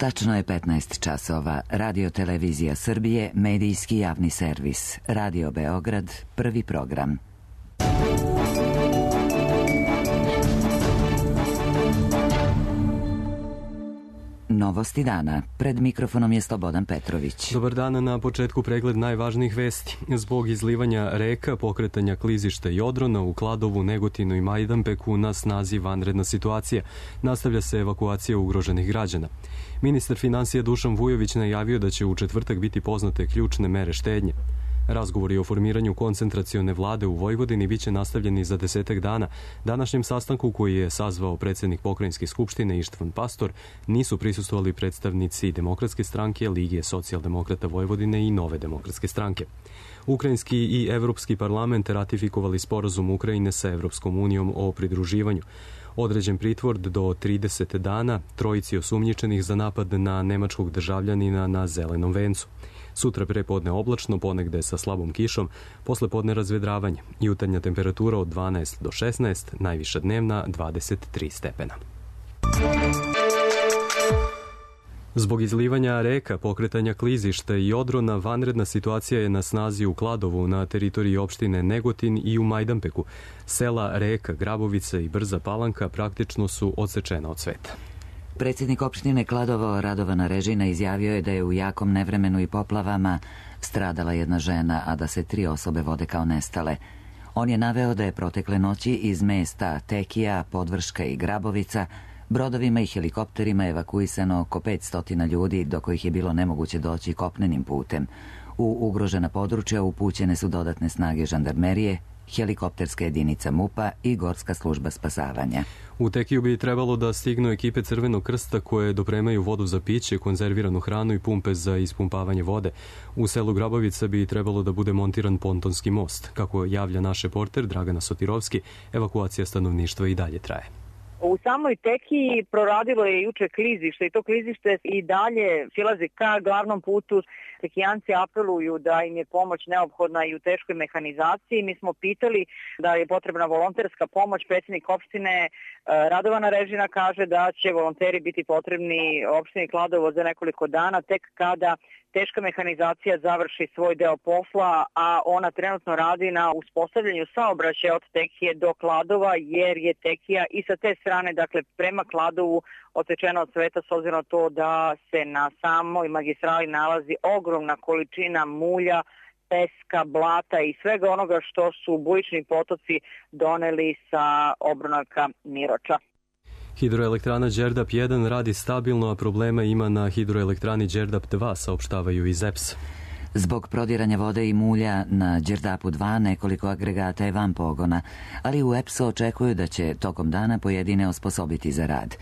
Tačno je 15 časova. Radio Televizija Srbije, medijski javni servis. Radio Beograd, prvi program. Novosti dana. Pred mikrofonom je Slobodan Petrović. Dobar dan, na početku pregled najvažnijih vesti. Zbog izlivanja reka, pokretanja klizišta i odrona u Kladovu, Negotinu i Majdanpeku na snazi vanredna situacija. Nastavlja se evakuacija ugroženih građana. Ministar finansija Dušan Vujović najavio da će u četvrtak biti poznate ključne mere štednje. Razgovori o formiranju koncentracione vlade u Vojvodini biće nastavljeni za 10 dana. Današnjem sastanku koji je sazvao predsjednik Pokrajinske skupštine Ištvan Pastor nisu prisustvovali predstavnici Demokratske stranke, Lige socijaldemokrata Vojvodine i Nove demokratske stranke. Ukrajinski i Evropski parlament ratifikovali sporazum Ukrajine sa Evropskom unijom o pridruživanju. Određen pritvor do 30 dana trojici osumnjičenih za napad na nemačkog državljanina na Zelenom vencu. Sutra prepodne oblačno, ponegde sa slabom kišom, posle podne razvedravanje. Jutarnja temperatura od 12 do 16, najviša dnevna 23 stepena. Zbog izlivanja reka, pokretanja klizišta i odrona, vanredna situacija je na snazi u Kladovu, na teritoriji opštine Negotin i u Majdanpeku. Sela Reka, Grabovica i Brza Palanka praktično su odsečena od sveta. Predsjednik opštine Kladovo Radovana Režina izjavio je da je u jakom nevremenu i poplavama stradala jedna žena, a da se 3 osobe vode kao nestale. On je naveo da je protekle noći iz mesta Tekija, Podvrška i Grabovica brodovima i helikopterima evakuisano oko 500 ljudi, do kojih je bilo nemoguće doći kopnenim putem. U ugrožena područja upućene su dodatne snage žandarmerije, helikopterska jedinica MUP-a i Gorska služba spasavanja. U Tekiju bi trebalo da stignu ekipe Crvenog krsta koje dopremaju vodu za piće, konzerviranu hranu i pumpe za ispumpavanje vode. U selu Grabovica bi trebalo da bude montiran pontonski most. Kako javlja naš reporter Dragana Sotirovski, evakuacija stanovništva i dalje traje. U samoj Tekiji proradilo je juče klizište i to klizište i dalje silazi ka glavnom putu. Tekijanci apeluju da im je pomoć neophodna i u teškoj mehanizaciji. Mi smo pitali da je potrebna volonterska pomoć. Predsjednik opštine Radovana Režina kaže da će volonteri biti potrebni opštini Kladovo za nekoliko dana, tek kada teška mehanizacija završi svoj deo posla, a ona trenutno radi na uspostavljanju saobraćaja od Tekije do Kladova, jer je Tekija i sa te strane, dakle prema Kladovu, odsečena od sveta s obzirom na to da se na samoj magistrali nalazi ogromna količina mulja, peska, blata i svega onoga što su bujični potoci doneli sa obronaka Miroča. Hidroelektrana Đerdap 1 radi stabilno, a problema ima na hidroelektrani Đerdap 2, saopštavaju iz EPS. Zbog prodiranja vode i mulja na Đerdapu 2 nekoliko agregata je van pogona, ali u EPS-u očekuju da će tokom dana pojedine osposobiti za rad.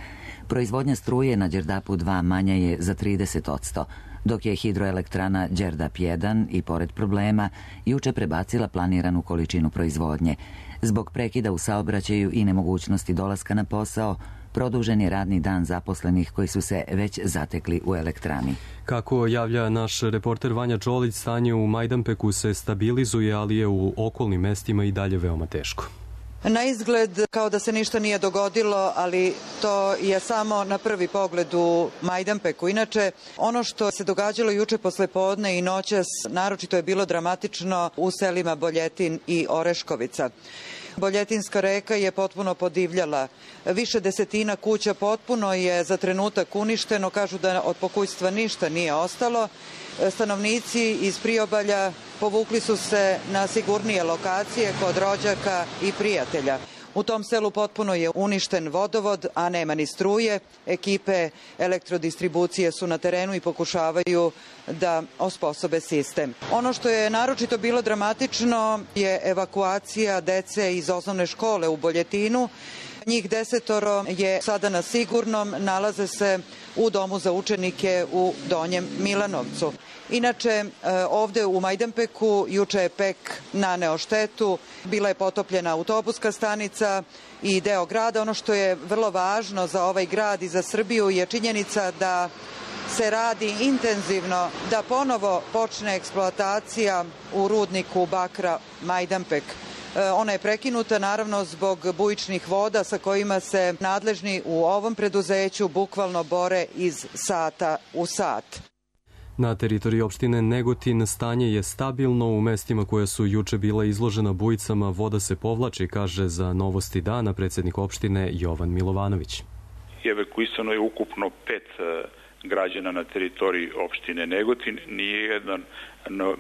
Proizvodnja struje na Đerdapu 2 manja je za 30%, dok je hidroelektrana Đerdap 1 i pored problema juče prebacila planiranu količinu proizvodnje. Zbog prekida u saobraćaju i nemogućnosti dolaska na posao, produžen je radni dan zaposlenih koji su se već zatekli u elektrani. Kako javlja naš reporter Vanja Čolić, stanje u Majdanpeku se stabilizuje, ali je u okolnim mestima i dalje veoma teško. Na izgled kao da se ništa nije dogodilo, ali to je samo na prvi pogled u Majdanpeku. Inače, ono što se događalo juče poslepodne i noćas, naročito je bilo dramatično u selima Boljetin i Oreškovica. Boljetinska reka je potpuno podivljala. Više desetina kuća potpuno je za trenutak uništeno. Kažu da od pokućstva ništa nije ostalo. Stanovnici iz priobalja povukli su se na sigurnije lokacije kod rođaka i prijatelja. U tom selu potpuno je uništen vodovod, a nema ni struje. Ekipe elektrodistribucije su na terenu i pokušavaju da osposobe sistem. Ono što je naročito bilo dramatično je evakuacija dece iz osnovne škole u Boljetinu. Njih 10 je sada na sigurnom, nalaze se u domu za učenike u Donjem Milanovcu. Inače, ovde u Majdanpeku juče je PEK naneo štetu, bila je potopljena autobuska stanica i deo grada. Ono što je vrlo važno za ovaj grad i za Srbiju je činjenica da se radi intenzivno da ponovo počne eksploatacija u rudniku bakra Majdanpek. Ona je prekinuta naravno zbog bujičnih voda sa kojima se nadležni u ovom preduzeću bukvalno bore iz sata u sat. Na teritoriji opštine Negotin stanje je stabilno. U mestima koja su juče bila izložena bujicama voda se povlači, kaže za Novosti dana predsjednik opštine Jovan Milovanović. Evakuisano je ukupno 5 građana na teritoriji opštine Negotin. Nijedan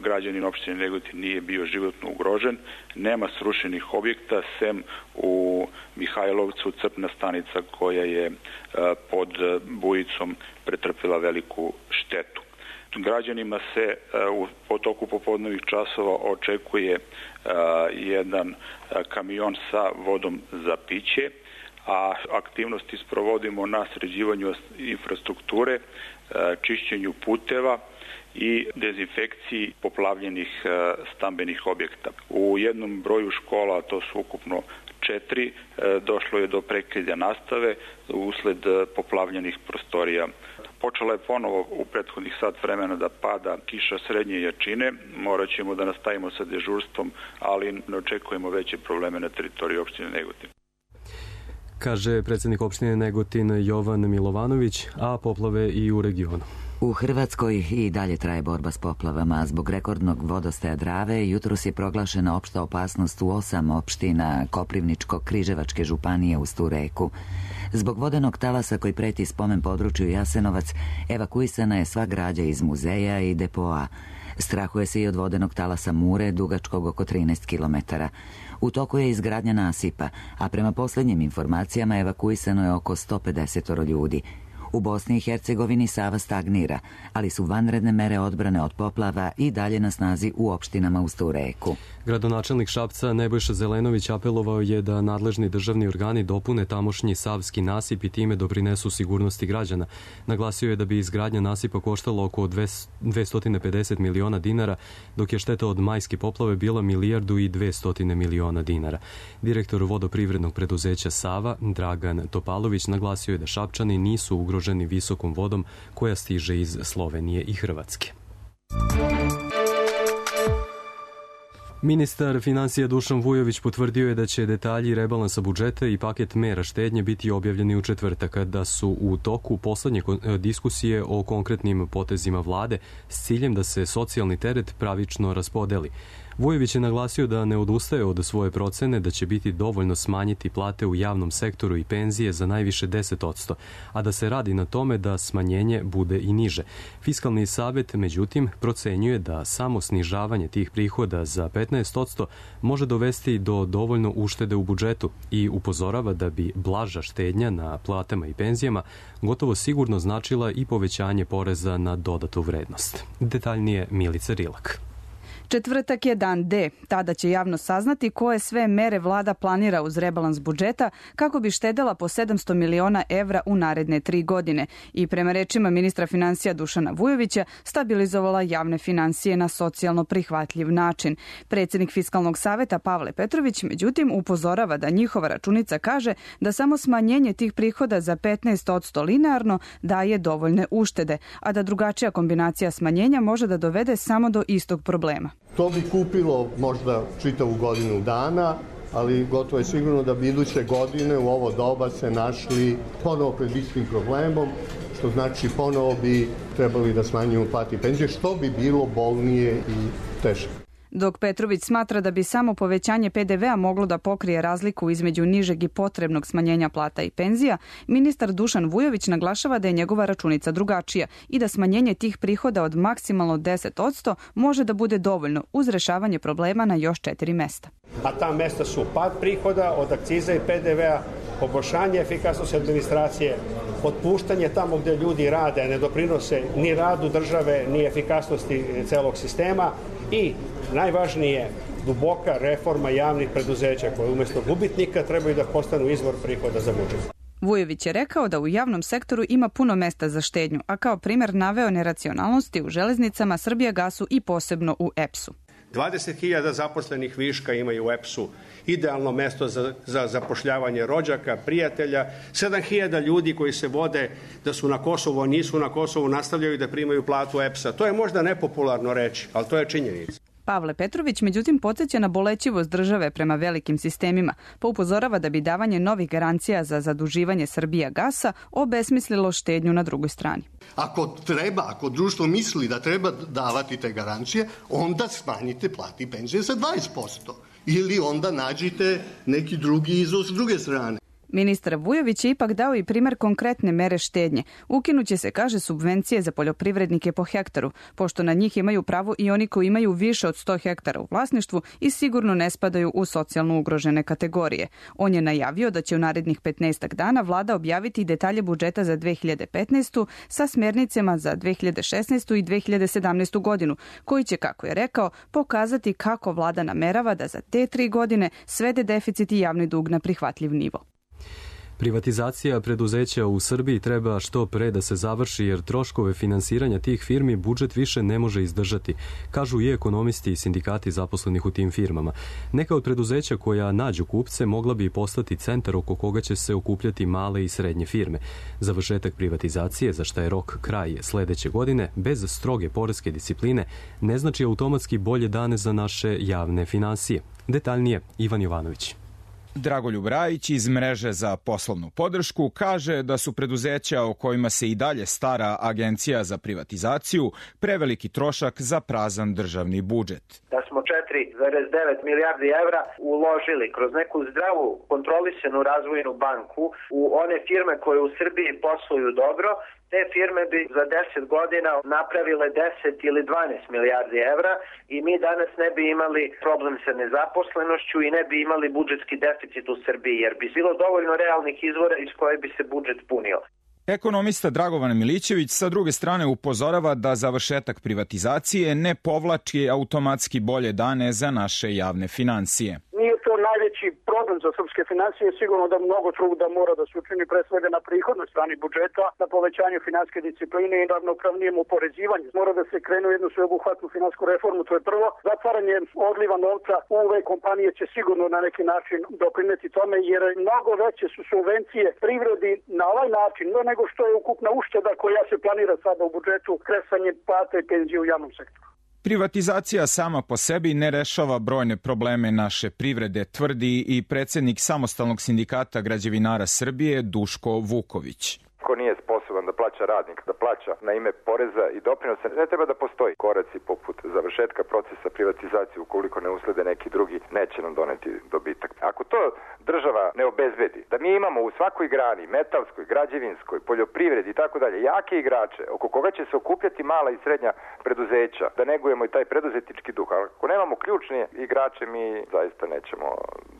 građanin opštine Negotin nije bio životno ugrožen. Nema srušenih objekta, sem u Mihajlovcu crpna stanica koja je pod bujicom pretrpela veliku štetu. Građanima se u toku popodnevnih časova očekuje jedan kamion sa vodom za piće, a aktivnosti sprovodimo na sređivanju infrastrukture, čišćenju puteva i dezinfekciji poplavljenih stambenih objekta. U jednom broju škola, to su ukupno 4, došlo je do prekida nastave usled poplavljenih prostorija. Počela je ponovo u prethodnih sat vremena da pada kiša srednje jačine. Morat ćemo da nastavimo sa dežurstvom, ali ne očekujemo veće probleme na teritoriji opštine Negotin. Kaže predsjednik opštine Negotin Jovan Milovanović, a poplave i u regionu. U Hrvatskoj i dalje traje borba s poplavama. Zbog rekordnog vodostaja Drave jutros je proglašena opšta opasnost u 8 opština Koprivničko-Križevačke županije uz tu reku. Zbog vodenog talasa koji preti spomen području Jasenovac, evakuisana je sva građa iz muzeja i depoa. Strahuje se i od vodenog talasa Mure, dugačkog oko 13 km. U toku je izgradnja nasipa, a prema posljednjim informacijama evakuisano je oko 150 ljudi. U Bosni i Hercegovini Sava stagnira, ali su vanredne mere odbrane od poplava i dalje na snazi u opštinama uz tu reku. Gradonačelnik Šapca Nebojša Zelenović apelovao je da nadležni državni organi dopune tamošnji savski nasip i time doprinesu sigurnosti građana. Naglasio je da bi izgradnja nasipa koštala oko 250 miliona dinara, dok je šteta od majske poplave bila 1,2 milijarde dinara. Direktor vodoprivrednog preduzeća Sava, Dragan Topalović, naglasio je da Šapčani nisu ugroženi visokom vodom koja stiže iz Slovenije i Hrvatske. Ministar financija Dušan Vujović potvrdio je da će detalji rebalansa budžeta i paket mera štednje biti objavljeni u četvrtak, da su u toku poslednje diskusije o konkretnim potezima vlade s ciljem da se socijalni teret pravično raspodeli. Vujović je naglasio da ne odustaje od svoje procene da će biti dovoljno smanjiti plate u javnom sektoru i penzije za najviše 10%, a da se radi na tome da smanjenje bude i niže. Fiskalni savet, međutim, procenjuje da samo snižavanje tih prihoda za 15% može dovesti do dovoljno uštede u budžetu i upozorava da bi blaža štednja na platama i penzijama gotovo sigurno značila i povećanje poreza na dodatu vrednost. Detaljnije Milica Rilak. Četvrtak je dan D. Tada će javno saznati koje sve mere vlada planira uz rebalans budžeta kako bi štedela po 700 miliona evra u naredne 3 godine i prema rečima ministra financija Dušana Vujovića stabilizovala javne financije na socijalno prihvatljiv način. Predsjednik Fiskalnog saveta Pavle Petrović međutim upozorava da njihova računica kaže da samo smanjenje tih prihoda za 15% linearno daje dovoljne uštede, a da drugačija kombinacija smanjenja može da dovede samo do istog problema. To bi kupilo možda čitavu godinu dana, ali gotovo je sigurno da bi iduće godine u ovo doba se našli ponovo pred istim problemom, što znači ponovo bi trebali da smanjimo plate i penzije, što bi bilo bolnije i teže. Dok Petrović smatra da bi samo povećanje PDV-a moglo da pokrije razliku između nižeg i potrebnog smanjenja plata i penzija, ministar Dušan Vujović naglašava da je njegova računica drugačija i da smanjenje tih prihoda od maksimalno 10% može da bude dovoljno uz rešavanje problema na još 4 mesta. A ta mesta su pad prihoda od akciza i PDV-a, poboljšanje efikasnosti administracije, otpuštanje tamo gde ljudi rade, ne doprinose ni radu države, ni efikasnosti celog sistema i najvažnije, duboka reforma javnih preduzeća koje umjesto gubitnika trebaju da postanu izvor prihoda za budžet. Vujović je rekao da u javnom sektoru ima puno mesta za štednju, a kao primjer naveo neracionalnosti u železnicama, Srbijagasu i posebno u EPS-u. 20.000 zaposlenih viška imaju u EPS-u, idealno mesto za zapošljavanje rođaka, prijatelja, 7.000 ljudi koji se vode da su na Kosovu, a nisu na Kosovu, nastavljaju da primaju platu EPS-a. To je možda nepopularno reći, ali to je činjenica. Pavle Petrović međutim podsjeća na bolećivost države prema velikim sistemima, pa upozorava da bi davanje novih garancija za zaduživanje Srbijagasa obesmislilo štednju na drugoj strani. Ako društvo misli da treba davati te garancije, onda smanjite plati i penzije za 20%. Ili onda nađite neki drugi izvoz s druge strane. Ministar Vujović je ipak dao i primer konkretne mere štednje. Ukinuće se, kaže, subvencije za poljoprivrednike po hektaru, pošto na njih imaju pravo i oni koji imaju više od 100 hektara u vlasništvu i sigurno ne spadaju u socijalno ugrožene kategorije. On je najavio da će u narednih 15 dana vlada objaviti detalje budžeta za 2015. sa smjernicama za 2016. i 2017. godinu, koji će, kako je rekao, pokazati kako vlada namerava da za te 3 godine svede deficit i javni dug na prihvatljiv nivo. Privatizacija preduzeća u Srbiji treba što pre da se završi jer troškove finansiranja tih firmi budžet više ne može izdržati, kažu i ekonomisti i sindikati zaposlenih u tim firmama. Neka od preduzeća koja nađu kupce mogla bi postati centar oko koga će se okupljati male i srednje firme. Završetak privatizacije, za šta je rok kraj sledeće godine, bez stroge poreske discipline, ne znači automatski bolje dane za naše javne finansije. Detaljnije, Ivan Jovanović. Dragoljub Rajić iz Mreže za poslovnu podršku kaže da su preduzeća o kojima se i dalje stara Agencija za privatizaciju preveliki trošak za prazan državni budžet. Da smo 4,9 milijardi evra uložili kroz neku zdravu kontrolisanu razvojnu banku u one firme koje u Srbiji posluju dobro, te firme bi za 10 godina napravile 10 ili 12 milijardi evra i mi danas ne bi imali problem sa nezaposlenošću i ne bi imali budžetski deficit u Srbiji, jer bi bilo dovoljno realnih izvora iz koje bi se budžet punio. Ekonomista Dragovan Milićević sa druge strane upozorava da završetak privatizacije ne povlači automatski bolje dane za naše javne financije. Nije to najveći problem za srpske financije, sigurno da mnogo truda mora da se učini pre svega na prihodnoj strani budžeta, na povećanju finansijske discipline i ravnopravnijem oporezivanju. Mora da se krene u jednu sveobuhvatnu finansijsku reformu, to je prvo. Zatvaranje odliva novca u ove kompanije će sigurno na neki način doprineti tome, jer mnogo veće su subvencije privredi na ovaj način, nego što je ukupna ušteda koja se planira sada u budžetu, kresanje plata i penzije u javnom sektoru. Privatizacija sama po sebi ne rešava brojne probleme naše privrede, tvrdi i predsjednik Samostalnog sindikata građevinara Srbije Duško Vuković. Ko nije sposoban da plaća radnik, da plaća na ime poreza i doprinosa, ne treba da postoji. Koraci poput završetka procesa privatizacije, ukoliko ne uslede neki drugi, neće nam doneti dobitak. Ako to država ne obezbedi, da mi imamo u svakoj grani, metalskoj, građevinskoj, poljoprivredi i tako dalje, jake igrače, oko koga će se okupljati mala i srednja preduzeća, da negujemo i taj preduzetnički duh. Ako nemamo ključne igrače, mi zaista nećemo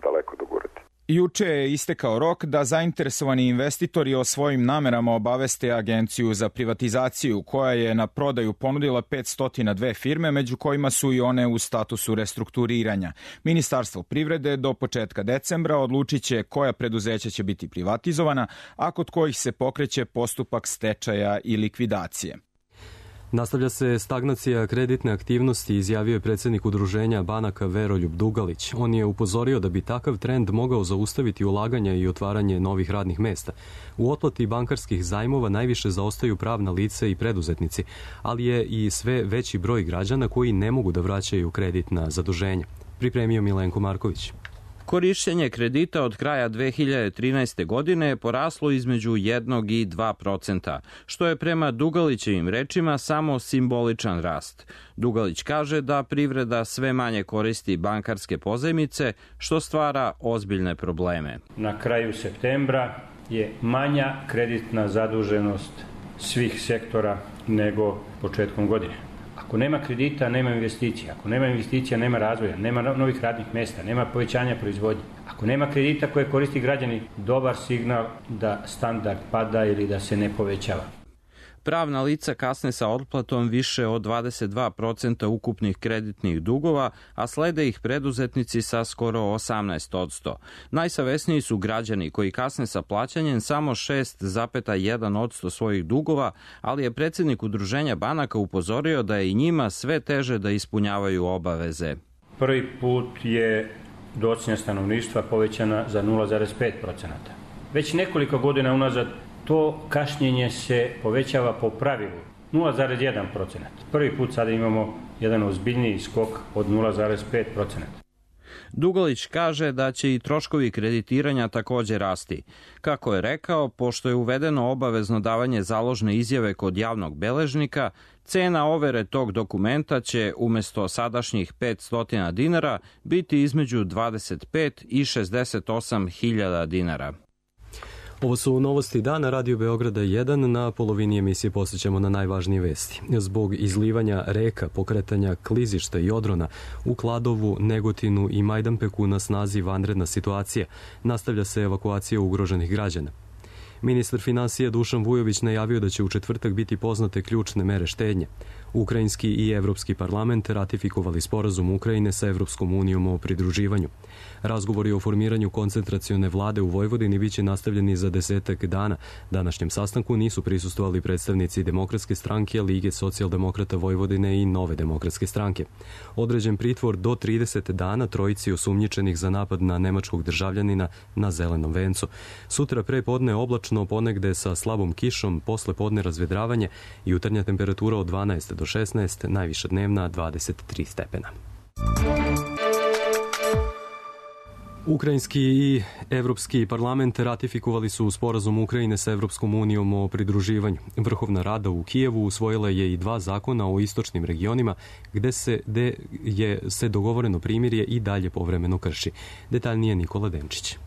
daleko dogurati. Juče je istekao rok da zainteresovani investitori o svojim namerama obaveste Agenciju za privatizaciju, koja je na prodaju ponudila 502 firme, među kojima su i one u statusu restrukturiranja. Ministarstvo privrede do početka decembra odlučit će koja preduzeća će biti privatizovana, a kod kojih se pokreće postupak stečaja i likvidacije. Nastavlja se stagnacija kreditne aktivnosti, izjavio je predsjednik Udruženja banaka Veroljub Dugalić. On je upozorio da bi takav trend mogao zaustaviti ulaganja i otvaranje novih radnih mesta. U otplati bankarskih zajmova najviše zaostaju pravna lica i preduzetnici, ali je i sve veći broj građana koji ne mogu da vraćaju kreditna zaduženja. Pripremio Milenko Marković. Korišćenje kredita od kraja 2013. godine je poraslo između 1 i 2%, što je prema Dugalićevim rečima samo simboličan rast. Dugalić kaže da privreda sve manje koristi bankarske pozajmice, što stvara ozbiljne probleme. Na kraju septembra je manja kreditna zaduženost svih sektora nego početkom godine. Ako nema kredita, nema investicija. Ako nema investicija, nema razvoja, nema novih radnih mesta, nema povećanja proizvodnje. Ako nema kredita koje koristi građani, dobar signal da standard pada ili da se ne povećava. Pravna lica kasne sa otplatom više od 22% ukupnih kreditnih dugova, a slede ih preduzetnici sa skoro 18%. Najsavesniji su građani koji kasne sa plaćanjem samo 6,1% svojih dugova, ali je predsjednik Udruženja banaka upozorio da je i njima sve teže da ispunjavaju obaveze. Prvi put je docnja stanovništva povećana za 0,5%. Već nekoliko godina unazad to kašnjenje se povećava po pravilu 0,1%. Prvi put sada imamo jedan ozbiljniji skok od 0,5%. Dugalić kaže da će i troškovi kreditiranja također rasti. Kako je rekao, pošto je uvedeno obavezno davanje založne izjave kod javnog beležnika, cena overe tog dokumenta će umjesto sadašnjih 500 dinara biti između 25 i 68 hiljada dinara. Ovo su novosti dana, Radio Beograda 1. Na polovini emisije posjećamo na najvažnije vesti. Zbog izlivanja reka, pokretanja klizišta i odrona u Kladovu, Negotinu i Majdanpeku na snazi vanredna situacija. Nastavlja se evakuacija ugroženih građana. Ministar finansija Dušan Vujović najavio da će u četvrtak biti poznate ključne mere štednje. Ukrajinski i Evropski parlament ratifikovali sporazum Ukrajine sa Evropskom unijom o pridruživanju. Razgovori o formiranju koncentracione vlade u Vojvodini biće nastavljeni za 10 dana. Današnjem sastanku nisu prisustvovali predstavnici Demokratske stranke, Lige socijaldemokrata Vojvodine i Nove demokratske stranke. Određen pritvor do 30 dana trojici osumnjičenih za napad na nemačkog državljanina na Zelenom vencu. Sutra pre podne oblačno, ponegde sa slabom kišom, posle podne razvedravanje i jutarnja temperatura od 12 do 16, najviša dnevna 23 stepena. Ukrajinski i Evropski parlament ratifikovali su sporazum Ukrajine sa Evropskom unijom o pridruživanju. Vrhovna rada u Kijevu usvojila je i 2 zakona o istočnim regionima gde se dogovoreno primirje i dalje povremeno krši. Detaljnije Nikola Denčić.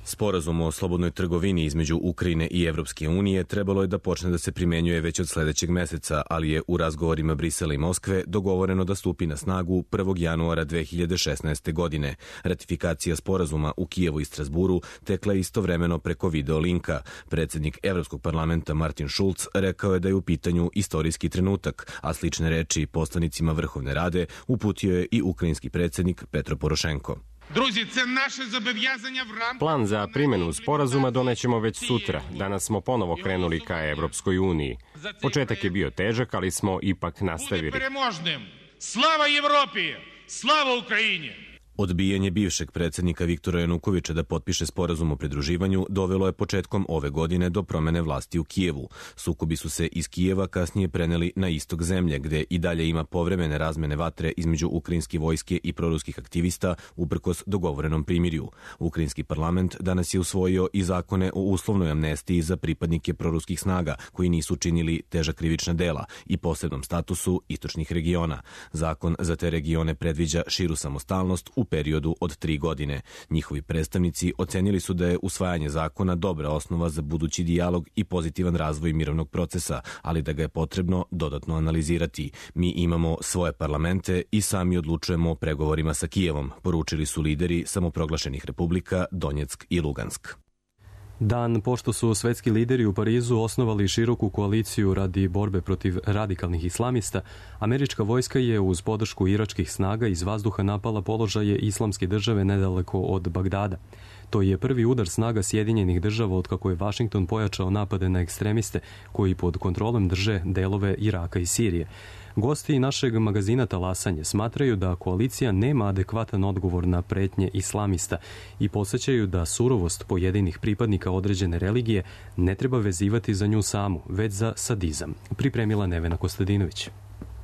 Sporazum o slobodnoj trgovini između Ukrajine i Evropske unije trebalo je da počne da se primenjuje već od sledećeg meseca, ali je u razgovorima Brisela i Moskve dogovoreno da stupi na snagu 1. januara 2016. godine. Ratifikacija sporazuma u Kijevu i Strasburu tekla je istovremeno preko video linka. Predsjednik Evropskog parlamenta Martin Schulz rekao je da je u pitanju istorijski trenutak, a slične reči poslanicima Vrhovne rade uputio je i ukrajinski predsjednik Petro Porošenko. Plan za primjenu sporazuma donećemo već sutra. Danas smo ponovo krenuli ka Evropskoj uniji. Početak je bio težak, ali smo ipak nastavili. Slava Evropi! Slava Ukrajini! Odbijanje bivšeg predsjednika Viktora Janukovića da potpiše sporazum o pridruživanju dovelo je početkom ove godine do promene vlasti u Kijevu. Sukobi su se iz Kijeva kasnije preneli na istok zemlje, gde i dalje ima povremene razmene vatre između ukrajinske vojske i proruskih aktivista uprkos dogovorenom primirju. Ukrajinski parlament danas je usvojio i zakone o uslovnoj amnestiji za pripadnike proruskih snaga koji nisu činili teža krivična dela i posebnom statusu istočnih regiona. Zakon za te regione predviđa širu samostalnost u periodu od 3 godine. Njihovi predstavnici ocenili su da je usvajanje zakona dobra osnova za budući dijalog i pozitivan razvoj mirovnog procesa, ali da ga je potrebno dodatno analizirati. Mi imamo svoje parlamente i sami odlučujemo o pregovorima sa Kijevom, poručili su lideri samoproglašenih republika Donjeck i Lugansk. Dan pošto su svetski lideri u Parizu osnovali široku koaliciju radi borbe protiv radikalnih islamista, američka vojska je uz podršku iračkih snaga iz vazduha napala položaje Islamske države nedaleko od Bagdada. To je prvi udar snaga Sjedinjenih država otkako je Vašington pojačao napade na ekstremiste koji pod kontrolom drže delove Iraka i Sirije. Gosti našeg magazina Talasanje smatraju da koalicija nema adekvatan odgovor na pretnje islamista i podsjećaju da surovost pojedinih pripadnika određene religije ne treba vezivati za nju samu, već za sadizam. Pripremila Nevena Kostadinović.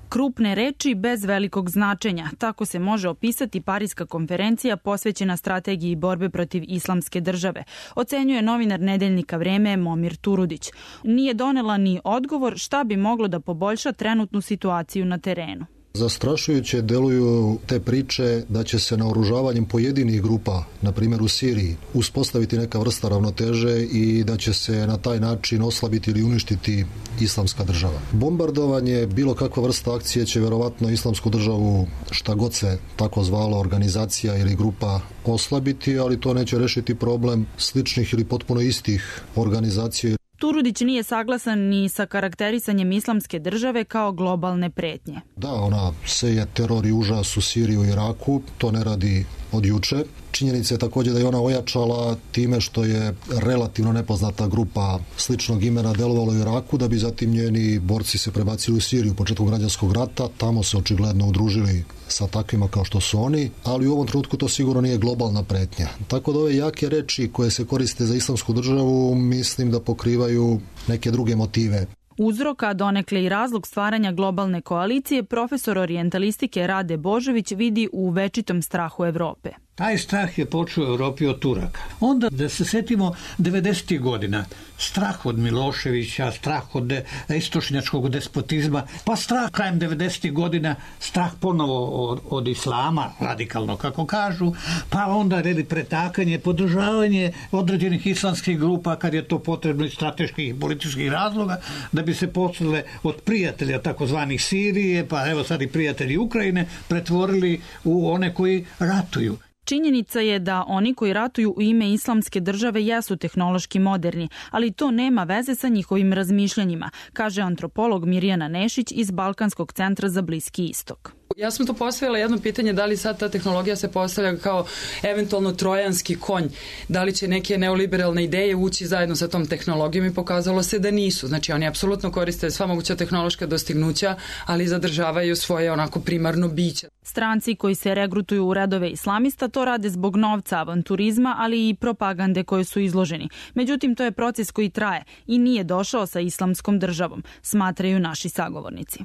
Krupne reči bez velikog značenja. Tako se može opisati Pariska konferencija posvećena strategiji borbe protiv Islamske države, ocenjuje novinar nedeljnika Vreme Momir Turudić. Nije donela ni odgovor šta bi moglo da poboljša trenutnu situaciju na terenu. Zastrašujuće deluju te priče da će se naoružavanjem pojedinih grupa, na primjer u Siriji, uspostaviti neka vrsta ravnoteže i da će se na taj način oslabiti ili uništiti Islamska država. Bombardovanje, bilo kakva vrsta akcije će verovatno Islamsku državu, šta god se tako zvalo, organizacija ili grupa, oslabiti, ali to neće rešiti problem sličnih ili potpuno istih organizacija. Turudić nije saglasan ni sa karakterisanjem Islamske države kao globalne pretnje. Da, ona seje teror i užas u Siriju i Iraku, to ne radi od juče. Činjenica je također da je ona ojačala time što je relativno nepoznata grupa sličnog imena delovala u Iraku, da bi zatim njeni borci se prebacili u Siriju u početku građanskog rata, tamo se očigledno udružili sa takvima kao što su oni, ali u ovom trenutku to sigurno nije globalna pretnja. Tako da ove jake reči koje se koriste za Islamsku državu mislim da pokrivaju neke druge motive. Uzrok, a donekle i razlog stvaranja globalne koalicije, profesor orijentalistike Rade Božović vidi u večitom strahu Evrope. Taj strah je počeo u Europi od Turaka. Onda da se setimo 90. godina, strah od Miloševića, strah od istočnjačkog despotizma, pa strah krajem 90. godina, strah ponovo od islama, radikalno kako kažu, pa onda redi pretakanje, podržavanje određenih islamskih grupa kad je to potrebno iz strateških i političkih razloga, da bi se posle od prijatelja takozvanih Sirije, pa evo sad i prijatelji Ukrajine, pretvorili u one koji ratuju. Činjenica je da oni koji ratuju u ime islamske države jesu tehnološki moderni, ali to nema veze sa njihovim razmišljanjima, kaže antropolog Mirjana Nešić iz Balkanskog centra za Bliski istok. Ja sam to postavila jedno pitanje, da li sad ta tehnologija se postavlja kao eventualno trojanski konj, da li će neke neoliberalne ideje ući zajedno sa tom tehnologijom i pokazalo se da nisu. Znači oni apsolutno koriste sva moguća tehnološka dostignuća, ali zadržavaju svoje onako primarno biće. Stranci koji se regrutuju u redove islamista to rade zbog novca, avanturizma, ali i propagande koje su izloženi. Međutim, to je proces koji traje i nije došao sa islamskom državom, smatraju naši sagovornici.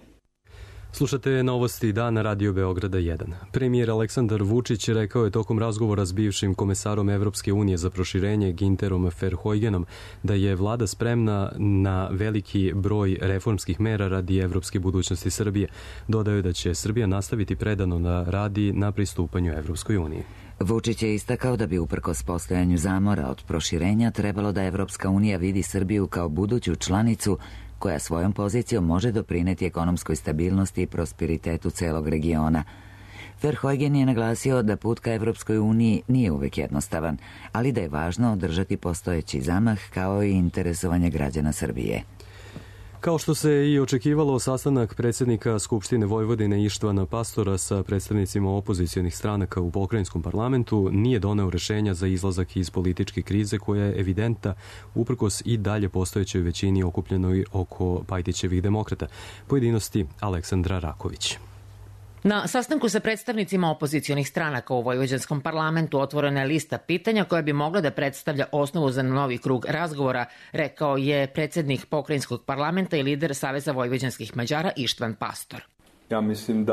Slušate novosti dana Radio Beograda 1. Premijer Aleksandar Vučić rekao je tokom razgovora s bivšim komesarom Evropske unije za proširenje Ginterom Verheugenom da je vlada spremna na veliki broj reformskih mera radi evropske budućnosti Srbije. Dodao je da će Srbija nastaviti predano da radi na pristupanju Evropskoj uniji. Vučić je istakao da bi uprkos postojanju zamora od proširenja trebalo da Evropska unija vidi Srbiju kao buduću članicu koja svojom pozicijom može doprineti ekonomskoj stabilnosti i prosperitetu celog regiona. Verheugen je naglasio da put ka Evropskoj uniji nije uvek jednostavan, ali da je važno održati postojeći zamah kao i interesovanje građana Srbije. Kao što se i očekivalo, sastanak predsjednika Skupštine Vojvodine Ištvana Pastora sa predstavnicima opozicionih stranaka u pokrajinskom parlamentu nije doneo rešenja za izlazak iz političke krize koja je evidentna uprkos i dalje postojećoj većini okupljenoj oko Pajtićevih demokrata. Pojedinosti Aleksandra Raković. Na sastanku sa predstavnicima opozicionih stranaka u vojvođanskom parlamentu otvorena je lista pitanja koja bi mogla da predstavlja osnovu za novi krug razgovora, rekao je predsjednik pokrajinskog parlamenta i lider Saveza vojvođanskih Mađara Ištvan Pastor. Ja mislim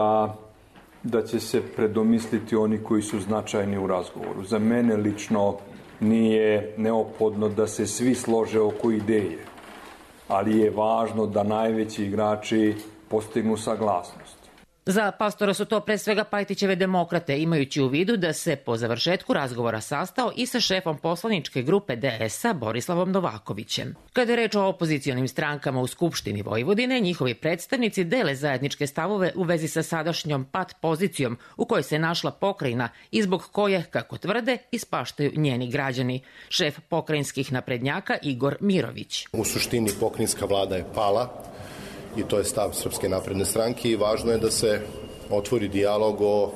da će se predomisliti oni koji su značajni u razgovoru. Za mene lično nije neophodno da se svi slože oko ideje, ali je važno da najveći igrači postignu saglasnost. Za Pastora su to pre svega Pajtićeve demokrate, imajući u vidu da se po završetku razgovora sastao i sa šefom poslaničke grupe DS-a Borislavom Novakovićem. Kada je reč o opozicionim strankama u Skupštini Vojvodine, njihovi predstavnici dele zajedničke stavove u vezi sa sadašnjom pat pozicijom u kojoj se našla pokrajina i zbog koje, kako tvrde, ispaštaju njeni građani. Šef pokrajinskih naprednjaka Igor Mirović. U suštini pokrajinska vlada je pala, i to je stav Srpske napredne stranke i važno je da se otvori dijalog o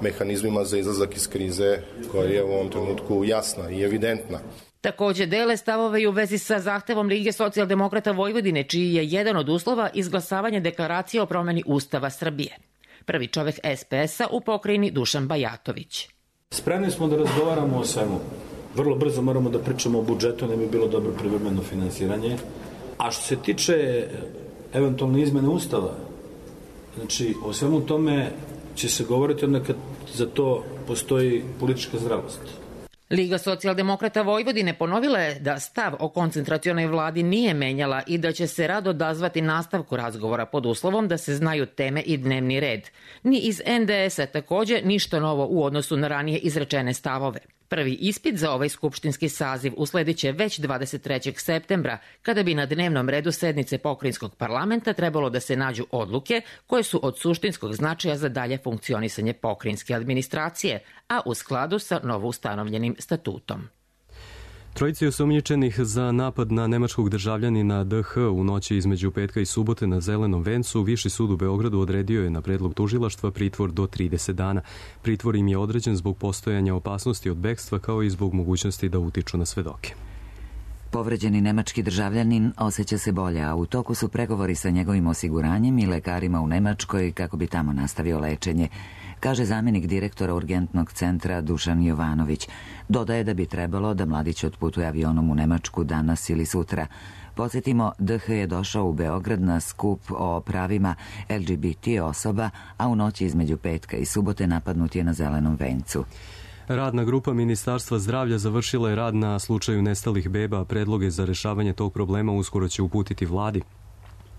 mehanizmima za izlazak iz krize koja je u ovom trenutku jasna i evidentna. Takođe dele stavove i u vezi sa zahtevom Lige socijaldemokrata Vojvodine, čiji je jedan od uslova izglasavanje deklaracije o promeni Ustava Srbije. Prvi čovek SPS-a u pokrajini Dušan Bajatović. Spremni smo da razgovaramo o svemu. Vrlo brzo moramo da pričamo o budžetu, ne bi bilo dobro privremeno finansiranje. A što se tiče eventualne izmene Ustava, znači o svemu tome će se govoriti onda kad za to postoji politička zdravost. Liga socijaldemokrata Vojvodine ponovila je da stav o koncentracionoj vladi nije menjala i da će se rado odazvati nastavku razgovora pod uslovom da se znaju teme i dnevni red. Ni iz NDS-a takođe ništa novo u odnosu na ranije izrečene stavove. Prvi ispit za ovaj skupštinski saziv uslediće već 23. septembra, kada bi na dnevnom redu sednice pokrajinskog parlamenta trebalo da se nađu odluke koje su od suštinskog značaja za dalje funkcionisanje pokrajinske administracije, a u skladu sa novoustanovljenim statutom. Trojici osumnjičenih za napad na nemačkog državljanina DH u noći između petka i subote na Zelenom vencu, Viši sud u Beogradu odredio je na predlog tužilaštva pritvor do 30 dana. Pritvor im je određen zbog postojanja opasnosti od bekstva kao i zbog mogućnosti da utiču na svedoke. Povređeni nemački državljanin osjeća se bolje, a u toku su pregovori sa njegovim osiguranjem i lekarima u Nemačkoj kako bi tamo nastavio lečenje. kaže zamjenik direktora urgentnog centra Dušan Jovanović. Dodaje da bi trebalo da mladić otputuje avionom u Nemačku danas ili sutra. Podsjetimo, DH je došao u Beograd na skup o pravima LGBT osoba, a u noći između petka i subote napadnut je na Zelenom vencu. Radna grupa Ministarstva zdravlja završila je rad na slučaju nestalih beba, a predloge za rešavanje tog problema uskoro će uputiti vladi.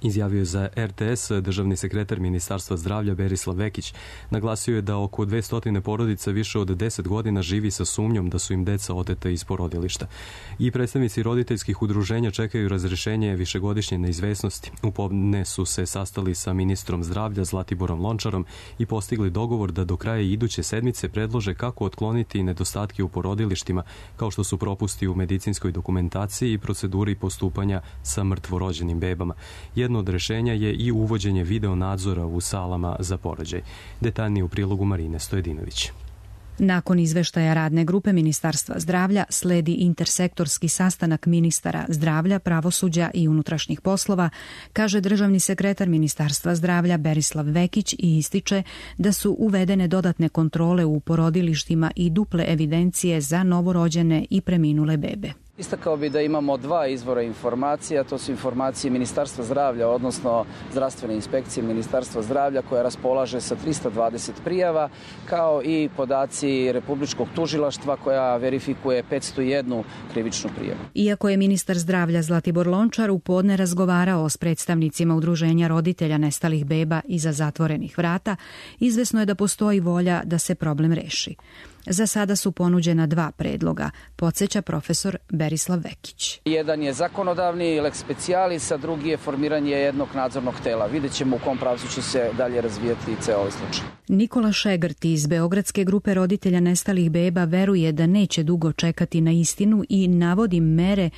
Izjavio je za RTS državni sekretar Ministarstva zdravlja Berislav Vekić. Naglasio je da oko 200 porodica više od 10 godina živi sa sumnjom da su im deca oteta iz porodilišta. I predstavnici roditeljskih udruženja čekaju razrešenje višegodišnje neizvesnosti. U podne su se sastali sa ministrom zdravlja Zlatiborom Lončarom i postigli dogovor da do kraja iduće sedmice predlože kako otkloniti nedostatke u porodilištima, kao što su propusti u medicinskoj dokumentaciji i proceduri postupanja sa mrtvorođenim bebama. Jedno od rešenja je i uvođenje video nadzora u salama za porođaj. Detaljnije u prilogu Marine Stojedinović. Nakon izveštaja radne grupe Ministarstva zdravlja sledi intersektorski sastanak ministara zdravlja, pravosuđa i unutrašnjih poslova, kaže državni sekretar Ministarstva zdravlja Berislav Vekić i ističe da su uvedene dodatne kontrole u porodilištima i duple evidencije za novorođene i preminule bebe. Istakao bi da imamo dva izvora informacija, to su informacije Ministarstva zdravlja, odnosno zdravstvene inspekcije Ministarstva zdravlja koja raspolaže sa 320 prijava, kao i podaci Republičkog tužilaštva koja verifikuje 501 krivičnu prijavu. Iako je ministar zdravlja Zlatibor Lončar u podne razgovarao s predstavnicima udruženja roditelja nestalih beba iza zatvorenih vrata, izvesno je da postoji volja da se problem reši. Za sada su ponuđena dva predloga, podsjeća profesor Berislav Vekić. Jedan je zakonodavni lex specialis, a drugi je formiranje jednog nadzornog tela. Vidjet ćemo u kom pravcu će se dalje razvijati ceo ovaj slučaj. Nikola Šegrt iz Beogradske grupe roditelja nestalih beba veruje da neće dugo čekati na istinu i navodi mere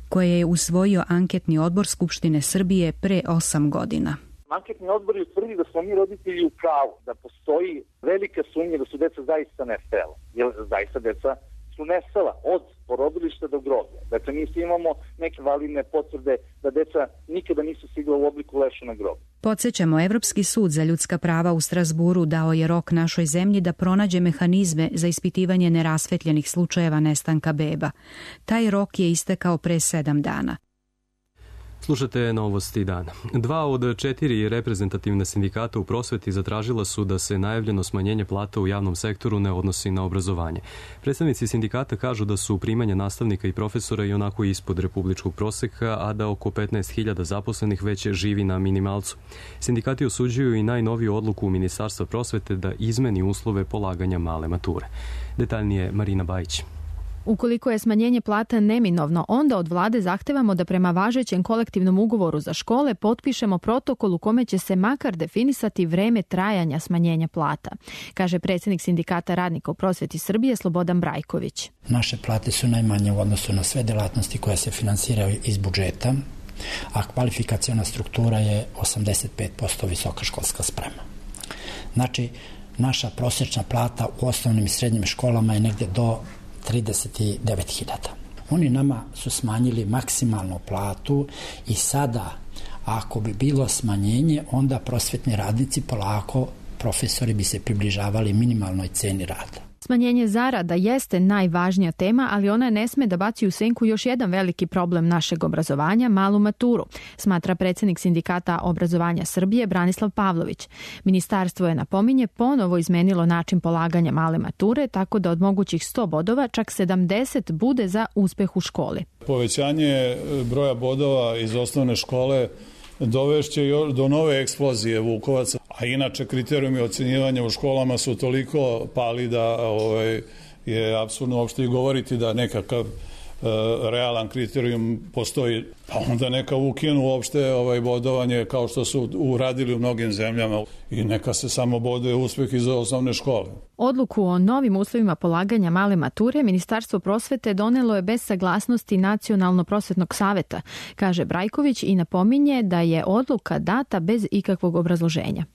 koje je usvojio anketni odbor Skupštine Srbije pre 8 godina. Anketni odbor je utvrdio da smo mi roditelji u pravu, da postoji velika sumnja da su deca zaista nestala, jer zaista deca su nestala od porodilišta do groblja. Dakle, mi imamo neke validne potvrde da deca nikada nisu stigla u obliku leša na grob. Podsjećamo, Evropski sud za ljudska prava u Strazburu dao je rok našoj zemlji da pronađe mehanizme za ispitivanje nerasvetljenih slučajeva nestanka beba. Taj rok je istekao pre 7 dana. Slušate novosti dana. 2 od 4 reprezentativna sindikata u prosveti zatražila su da se najavljeno smanjenje plata u javnom sektoru ne odnosi na obrazovanje. Predstavnici sindikata kažu da su primanja nastavnika i profesora i onako ispod republičkog proseka, a da oko 15.000 zaposlenih već živi na minimalcu. Sindikati osuđuju i najnoviju odluku Ministarstva prosvete da izmeni uslove polaganja male mature. Detaljnije Marina Bajić. Ukoliko je smanjenje plata neminovno, onda od vlade zahtevamo da prema važećem kolektivnom ugovoru za škole potpišemo protokol u kome će se makar definisati vreme trajanja smanjenja plata, kaže predsjednik Sindikata radnika u prosveti Srbije Slobodan Brajković. Naše plate su najmanje u odnosu na sve delatnosti koje se finansiraju iz budžeta, a kvalifikaciona struktura je 85% visoka školska sprema. Znači, naša prosječna plata u osnovnim i srednjim školama je negdje do 39.000. Oni nama su smanjili maksimalnu platu i sada, ako bi bilo smanjenje, onda prosvetni radnici polako, profesori bi se približavali minimalnoj ceni rada. Smanjenje zarada jeste najvažnija tema, ali ona ne sme da baci u senku još jedan veliki problem našeg obrazovanja, malu maturu, smatra predsjednik Sindikata obrazovanja Srbije Branislav Pavlović. Ministarstvo je, napominje, ponovo izmenilo način polaganja male mature, tako da od mogućih 100 bodova čak 70 bude za uspeh u školi. Povećanje broja bodova iz osnovne škole dovešće do nove eksplozije Vukovaca, a inače kriterijumi ocenjivanja u školama su toliko pali da je apsurdno uopšte i govoriti da nekakav realan kriterijum postoji, pa onda neka ukinu uopšte bodovanje kao što su uradili u mnogim zemljama i neka se samo boduje uspeh iz osnovne škole. Odluku o novim uslovima polaganja male mature Ministarstvo prosvete donelo je bez saglasnosti Nacionalno-prosvetnog saveta, kaže Brajković i napominje da je odluka data bez ikakvog obrazloženja.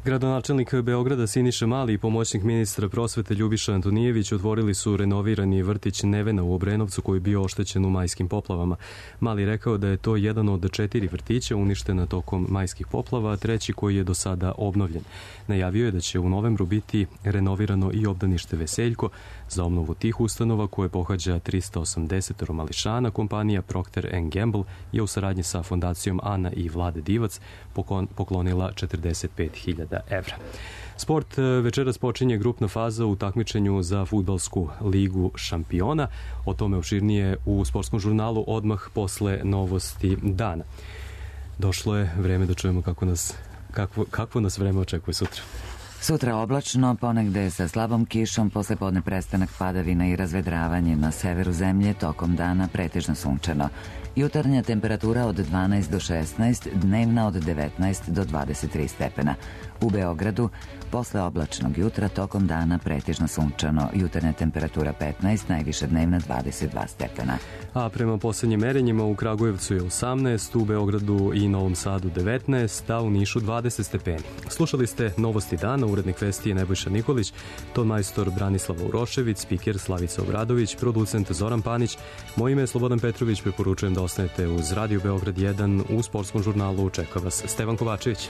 Gradonačelnik Beograda Siniša Mali i pomoćnik ministra prosvete Ljubiša Antonijević otvorili su renovirani vrtić Nevena u Obrenovcu koji je bio oštećen u majskim poplavama. Mali rekao da je to jedan od 4 vrtića uništena tokom majskih poplava, a 3. koji je do sada obnovljen. Najavio je da će u novembru biti renovirano i obdanište Veseljko. Za obnovu tih ustanova koje pohađa 380 mališana, kompanija Procter & Gamble je u saradnji sa fondacijom Ana i Vlade Divac poklonila 45.000 evra. Sport večeras počinje grupna faza u takmičenju za fudbalsku ligu šampiona. O tome opširnije u sportskom žurnalu odmah posle novosti dana. Došlo je vreme da čujemo kakvo nas vreme očekuje sutra. Sutra oblačno, ponegde sa slabom kišom, posle podne prestanak padavina i razvedravanje na severu zemlje, tokom dana pretežno sunčano. Jutarnja temperatura od 12 do 16, dnevna od 19 do 23 stepena. U Beogradu, posle oblačnog jutra, tokom dana pretežno sunčano, jutarnja temperatura 15, najviša dnevna 22 stepena. A prema poslednjim merenjima u Kragujevcu je 18, u Beogradu i Novom Sadu 19, a u Nišu 20 stepeni. Slušali ste Novosti dana, urednik vesti je Nebojša Nikolić, ton majstor Branislav Urošević, spiker Slavica Obradović, producent Zoran Panić. Moje ime je Slobodan Petrović, preporučujem da ostanete uz Radio Beograd 1 u sportskom žurnalu. Čeka vas Stevan Kovačević.